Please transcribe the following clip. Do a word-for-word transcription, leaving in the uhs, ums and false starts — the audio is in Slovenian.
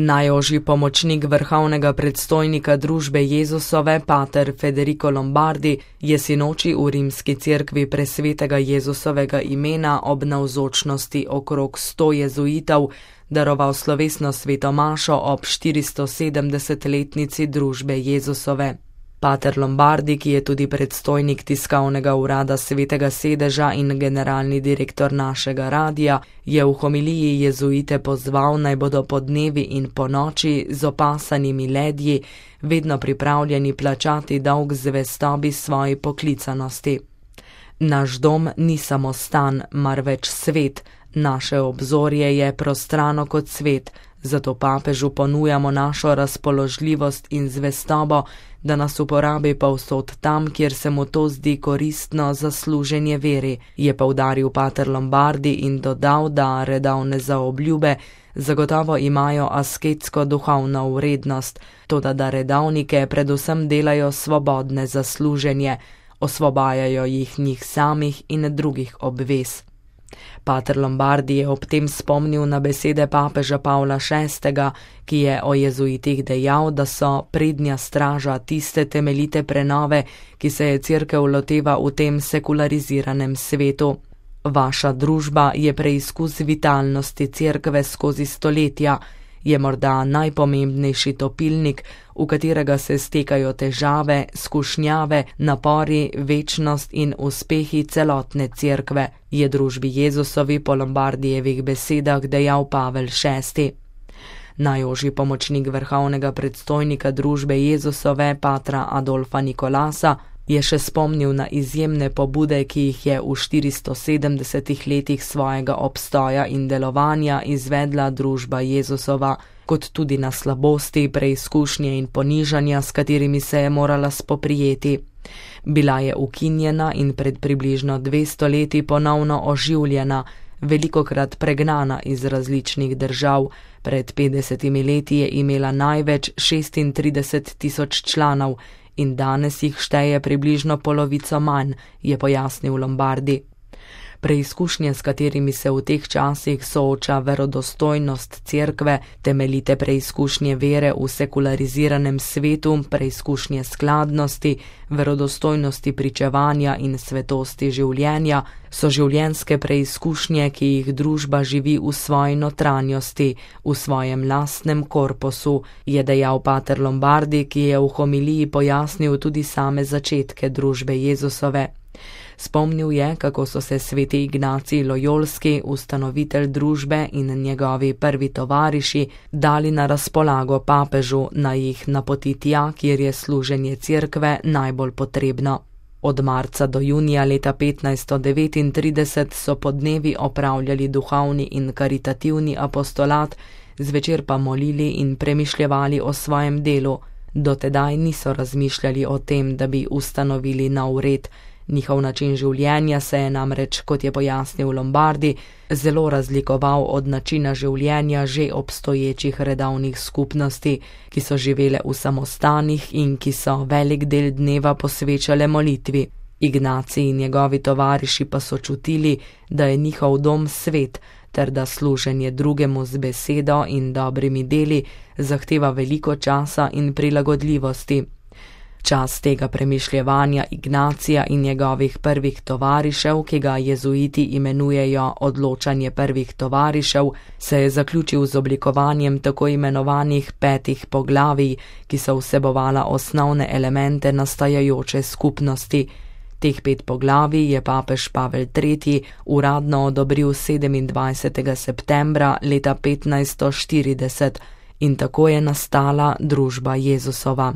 Najožji pomočnik vrhovnega predstojnika družbe Jezusove, pater Federico Lombardi, je sinoči v rimski cerkvi presvetega Jezusovega imena ob navzočnosti okrog sto jezuitov daroval slovesno sveto mašo ob štiristosedemdesetletnici družbe Jezusove. Pater Lombardi, ki je tudi predstojnik tiskovnega urada Svetega sedeža in generalni direktor našega radija, je v homiliji jezuite pozval, naj bodo po dnevi in po noči z opasanimi ledji vedno pripravljeni plačati dolg zvestobi svoji poklicanosti. Naš dom ni samo stan, marveč svet, naše obzorje je prostrano kot svet, zato papežu ponujamo našo razpoložljivost in zvestobo, da nas uporabi povsod tam, kjer se mu to zdi koristno za služenje veri, je poudaril pater Lombardi in dodal, da redovne zaobljube zagotovo imajo asketsko duhovno vrednost, toda da redovnike predvsem delajo svobodne za služenje, osvobajajo jih njih samih in drugih obvez. Pater Lombardi je ob tem spomnil na besede papeža Pavla šestega, ki je o jezuitih dejal, da so prednja straža tiste temeljite prenove, ki se je cerkev loteva v tem sekulariziranem svetu. Vaša družba je preizkus vitalnosti cerkve skozi stoletja, je morda najpomembnejši topilnik, v katerega se stekajo težave, skušnjave, napori, večnost in uspehi celotne cerkve, je družbi Jezusovi po Lombardijevih besedah dejal Pavel šesti. Najožji pomočnik vrhovnega predstojnika družbe Jezusove, patra Adolfa Nikolasa, je še spomnil na izjemne pobude, ki jih je v štiristosedemdesetih letih svojega obstoja in delovanja izvedla družba Jezusova, kot tudi na slabosti, preizkušnje in ponižanja, s katerimi se je morala spoprijeti. Bila je ukinjena in pred približno dvesto leti ponovno oživljena, velikokrat pregnana iz različnih držav. Pred petdesetimi leti je imela največ šestintrideset tisoč članov, in danes jih šteje približno polovico manj, je pojasnil Lombardi. Preizkušnje, s katerimi se v teh časih sooča verodostojnost cerkve, temeljite preizkušnje vere v sekulariziranem svetu, preizkušnje skladnosti, verodostojnosti pričevanja in svetosti življenja, so življenjske preizkušnje, ki jih družba živi v svoji notranjosti, v svojem lastnem korpusu, je dejal pater Lombardi, ki je v homiliji pojasnil tudi same začetke družbe Jezusove. Spomnil je, kako so se sveti Ignacij Lojolski, ustanovitelj družbe, in njegovi prvi tovariši dali na razpolago papežu, naj jih napoti tja, kjer je služenje cerkve najbolj potrebno. Od marca do junija leta petnajststo devetintrideset so po dnevi opravljali duhovni in karitativni apostolat, zvečer pa molili in premišljevali o svojem delu. Do tedaj niso razmišljali o tem, da bi ustanovili nov red. Njihov način življenja se je namreč, kot je pojasnil Lombardi, zelo razlikoval od načina življenja že obstoječih redovnih skupnosti, ki so živele v samostanih in ki so velik del dneva posvečale molitvi. Ignacij in njegovi tovariši pa so čutili, da je njihov dom svet, ter da služenje drugemu z besedo in dobrimi deli zahteva veliko časa in prilagodljivosti. Čas tega premišljevanja Ignacija in njegovih prvih tovarišev, ki ga jezuiti imenujejo odločanje prvih tovarišev, se je zaključil z oblikovanjem tako imenovanih petih poglavij, ki so vsebovala osnovne elemente nastajajoče skupnosti. Teh pet poglavij je papež Pavel tretji uradno odobril sedemindvajsetega septembra leta petnajststo štirideset in tako je nastala družba Jezusova.